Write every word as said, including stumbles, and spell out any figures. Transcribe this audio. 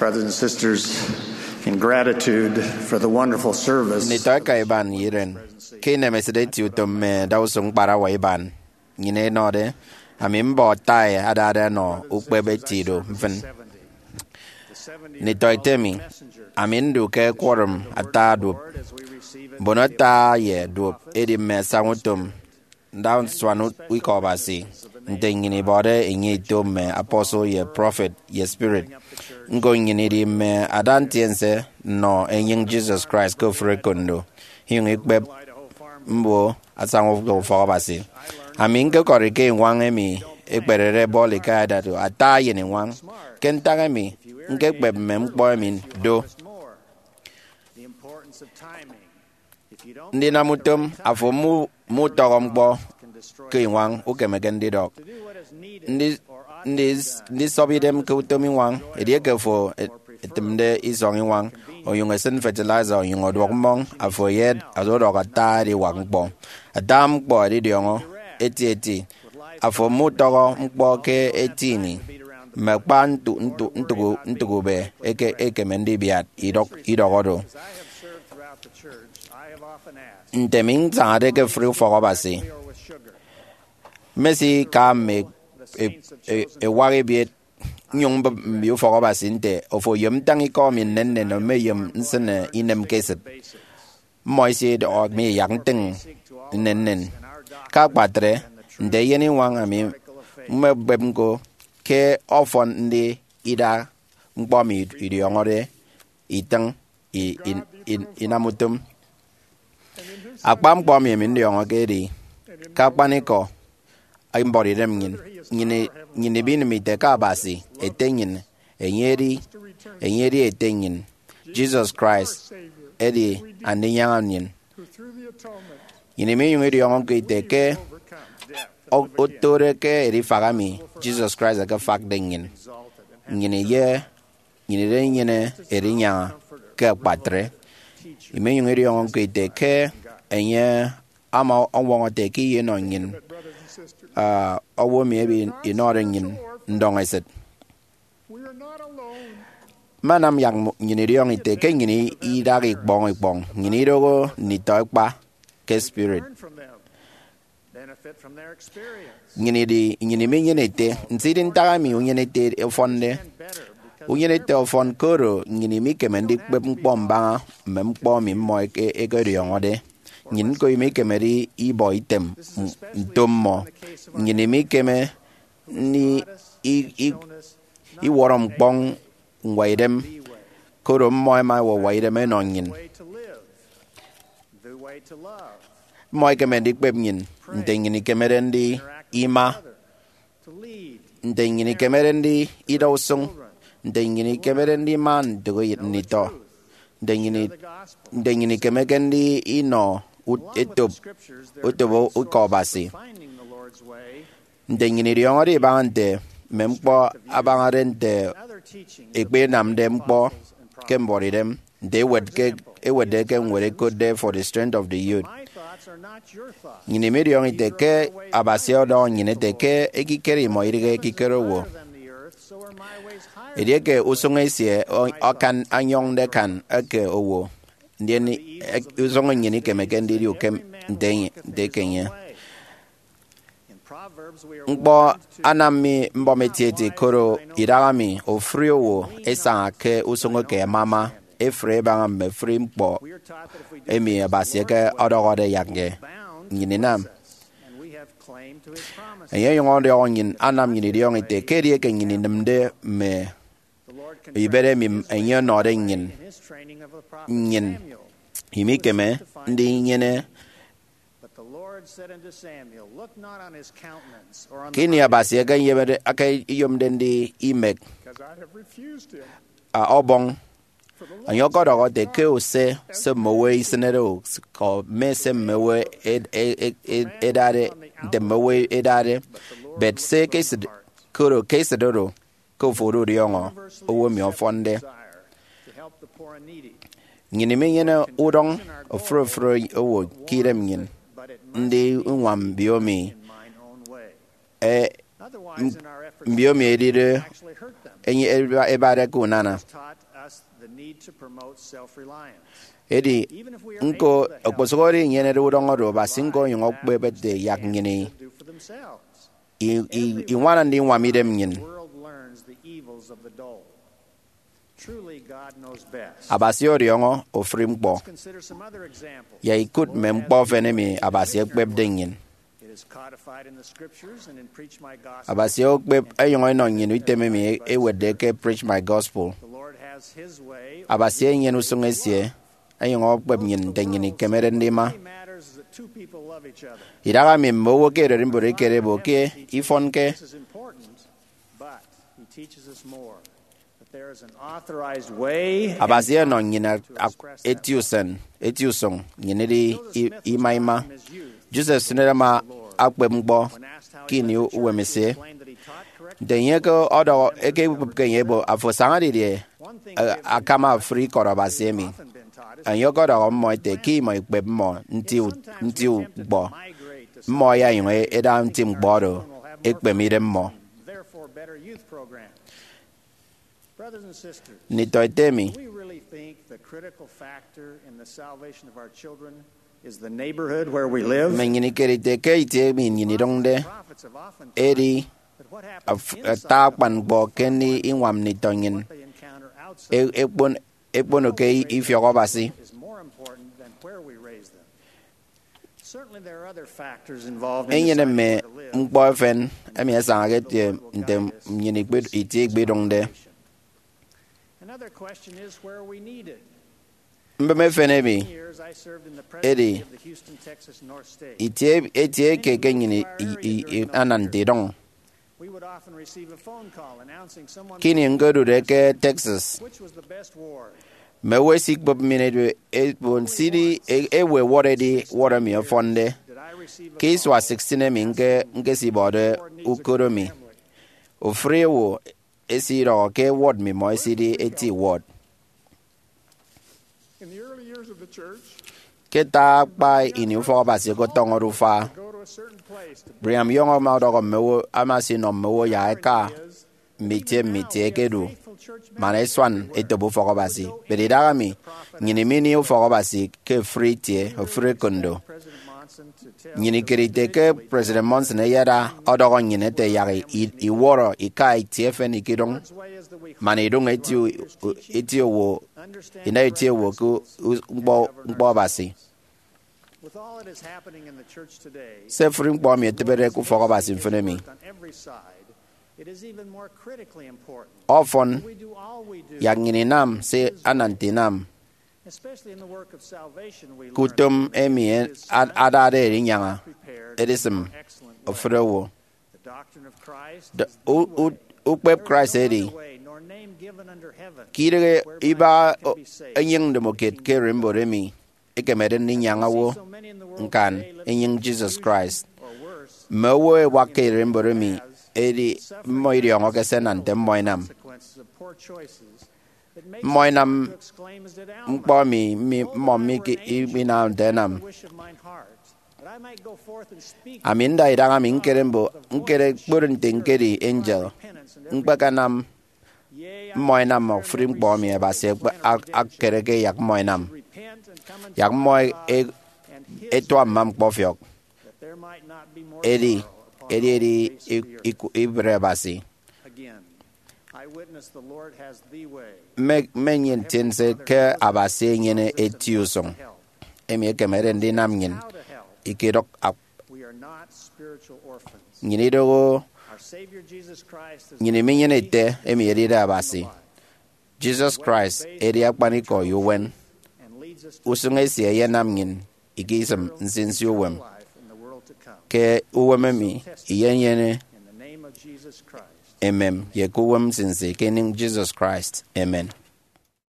Brothers and sisters, in gratitude for the wonderful service, nditọ eka iban ye iren, ke inemesịt eti utom mme adausuñ ñkparawa iban nnyịn ẹnọde, ami mbọ Tai adade ọnọ ukpep eti do mfịn. Nditọ ete mi, ami ndu ke quorum ata duop, mbono ata ye duop edi mme asañautom ndausua Ikọ Abasi, nte nnyịn ibọde enye ito mme apostle ye prophet ye spirit. Ñko nnyịn idi mme ada ntiense nnọ enyịñ Jesus Christ ke ofụri ekondo, inyụñ ikpep mbo asañautom ufọk Abasi. Ami ñkekọri ke iñwañ emi ekperede Bali ke Idaho, ata eyen iñwañ. Ke ntak emi ñkekpep mme ñkpọ emi do? Ndinam utom afo mu- mutọhọ ñkpọ ke iñwañ ukemeke ndidọk ndi- ndi- ndisọp idem ke utom iñwañ. Edieke afo e- etịmde isọñ iñwañ, onyụñ esịn fertilizer, onyụñ ọduọk mmọñ, afo eyet odọk ata ediwak ñkpọ. Ata ñkpọ ẹdidiọñọ etieti. Afo mutọhọ ñkpọ ke eti ini, mme akpa ntu- ntu- ntụk- ntụk ube eke- ekeme ndibiat idọk- idọhọ do. Nte mi nsañade ke ofụri ufọk Abasi, mmesika mme e- e- ewak ebiet nnyụñ mbịp mbio ufọk Abasi nte, ofo oyom ntañ ikọ mi nnennen, emeyom nsịne inem ke esịt. Mmọ isidọhọ mi yak ntịñ nnennen. Ke akpatre, nte eyen iñwañ, ami mmekpep ñko ke ọfọn ndi ida ñkpọ mi idiọñọde itịñ i- i- i- inam utom. Akpa ñkpọ emi, emi ndiọñọke edi ke akpanikọ mbọrọ idem nnyịn. Nnyịn i- nnyịn ibinịm ite ke Abasi ete nnyịn, enye edi enye edi ete nnyịn. Jesus Christ edi Andinyaña nnyịn. Nnyịn iminyụñ idiọñọke ite ke o- otode ke edifaha emi Jesus Christ ekefakde nnyịn. Nnyịn ye nnyịn idinyene edinyaña ke akpatre. Iminyụñ idiọñọke ite ke enye ama ọñwọñọ ete ke iyenọ nnyịn, ah, owo emi ebe inọde nnyịn ndọñesịt. Mme anam yak nnyịn idiọñọ ite ke nnyịn idaha ikpọñ ikpọñ, nnyịn idoho nditọ ẹkpa ke spirit. Nnyịn idi- nnyịn iminyene ete, nso idi ntak emi unyenete ọfọnde? Unyenete ọfọn, koro nnyịn imikeme ndikpep ñkpọ mbaña mme ñkpọ emi mmọ eke- ekediọñọde. Nnyịn ñko imikemede ibọ item m- nto mmọ. Nnyịn imikeme ndi- i- i- iwọrọ ñkpọñ ñwaidem, koro mmọ ẹma ẹwọwọ idem ẹnọ nnyịn. Mmọ ẹkeme ndikpep nnyịn nte nnyịn ikemede ndi ima, nte nnyịn ikemede ndi ida usụñ, nte nnyịn ikemede ndi ima ndịk nditọ, nte nnyịn i- nte nnyịn ikemeke ndi inọ ut- etop, otop Ikọ Abasi, nte nnyịn idiọñọde ibaña nte mme ñkpọ abañade, nte ikpinamde ñkpọ ke mbọrọidem, nte ewet ke- ewetde ke ñwed ekotde For the Strength of the Youth. Nnyịn imidiọñọ ite ke Abasi ọdọhọ nnyịn ete ke ekikere imọ idịghe ekikere owo. Edieke usụñ esie ọ- akan anyọñde akan eke owo, ndien e- usụñ nnyịn ikemeke ndidi ukem nte enye- nte eke enye. Ñkpọ anam mi mbọm etieti, koro idaha mi ofụri owo esaña ke usụñ eke amama efre ebaña mme ofụri ñkpọ emi Abasi eke ọdọhọde yak nnyịn inam. Enye ọnyụñ ọdọhọ nnyịn, anam nnyịn idiọñọ ite ke edieke nnyịn inịmde mme ibet emi enye ọnọde nnyịn, nnyịn imikeme ndinyene. Ke ini Abasi eke eyemede- eke eyomde ndi imek a ọbọñ, enye ọkọdọhọ ete ke use se mme owo isịnede, o, mme se mme owo ed- ed- ed- edade, nte mme owo edade, bet se ke esịt, koro ke esịt oro ke ofo odudiọñọ owo emi ọfọnde. Nnyịn iminyene udọñ ofụri ofụri owo ke idem nnyịn, ndi uñwam mbio mi e- mbiomi edide enye eba- ebade ke unana. Edi nko okposụkedi inyenede udọñ oro, Abasi ñko onyụñ okpep ete yak nnyịn i- i- i- iñwana ndiñwam idem nnyịn. Abasi ọdiọñọ ofụri ñkpọ. Yak ikụt mme ñkpọ efen emi Abasi ekpepde nnyịn. Abasi okpep enyụñ enọ nnyịn item emi ewetde ke Preach My Gospel. Abasi enyene usụñ esie, enyụñ okpep nnyịn nte nnyịn ikemede ndima. Idahaemi mme owo ke ererimbot ẹkere ẹbọ ke ifọnke. Abasi ọnọ nnyịn ak- ak- eti usen, eti usụñ, nnyịn idi i- ima ima. Joseph Smith ama akpep ñkpọ ke ini uwemesie. Nte enye ke ọdọhọ, eke ikpepke enye ebo, afo asaña didie, eh, akama ofụri ikọt Abasi emi? Enye ọkọdọhọ mmọ ete ke imọ ikpep mmọ nti u- nti ñkpọ, mmọ ẹyainyụñ ẹda nti ñkpọ oro ekpeme idem mmọ. Nditọete mi, mme nnyịn ikerede ke itie emi nnyịn idụñde edi af- ata akpan ñkpọ ke ini iñwam nditọ nnyịn e- ekpon- ekpono ke ifiọk Abasi. Enyene mme ñkpọ efen emi ẹsañake ẹtie nte nnyịn ikpe- itie ikpidụñde. Mbem efen emi edi itie, itie eke ke nnyịn i- i- i- ana nte idụñ. Ke ini ñkodude ke Texas, mme owo ẹsikpep mmịn edu ebon sidi e- ewe ward edi ward emi ọfọnde. Ke isua sixteen emi ñke- ñkesibọde ukot emi, ofụri owo esidọhọ ke ward mmimọ esidi eti ward. Ke ata akpa ini ufọk Abasi okotọñọde ufa, Brigham Young ama ọdọhọ mme owo, ama esinọ mme owo yak ẹka mme itie mme itie ẹkedu man ẹsuan etop ufọk Abasi. But idahaemi, nnyịn imini ufọk Abasi ke ofụri itie, ofụri ekondo. Nnyịn ikerede ke President Monson eyada ọdọhọ nnyịn ete yak i- iwọrọ ika itie efen ikidụñ man idụñ eti u- u- eti owo, ina eti owo ke u- ñkpọ, ñkpọ Abasi. Se ofụri ñkpọ emi etịbede ke ufọk Abasi mfịn emi. Ọfọn, yak nnyịn inam se ana nte inam ke utom emi ad- adade edinyaña edisịm ofụri owo. D- u- u- ukpep Christ edi ke idịghe iba o- enyịñ ndomokiet ke ererimbot emi ekemede ndinyaña owo ñkan enyịñ Jesus Christ. Mme owo ẹwak ke ererimbot emi edi mmọ idiọñọke se ẹnam nte mmọ ẹnam. Mmọ ẹnam ñkpọ emi mi- mmọ mi- ke- minamde ẹnam. Ami nda idaha mi ñkere mbo, ñkere kporo nte ñkedi angel, ñkpekenam mmọ ẹnam ofụri ñkpọ emi Abasi ekpe- ak- akereke yak mmọ ẹnam, yak mmọ e- e- ẹtua mma ñkpọfiọk. Edi, edi, edi iku- ibre Abasi. Mme, mme nnyịn ntiense ke Abasi enyene eti usụñ emi ekemede ndinam nnyịn ikidụk ak- nnyịn idoho nnyịn iminyene ete emi edide Abasi. Jesus Christ edi akpanikọ ye uwem. Usụñ esie eyenam nnyịn ikisịm nsinsi uwem ke uwem emi iyenyene emem ye ke uwem nsinsi ke enyịñ Jesus Christ. Amen.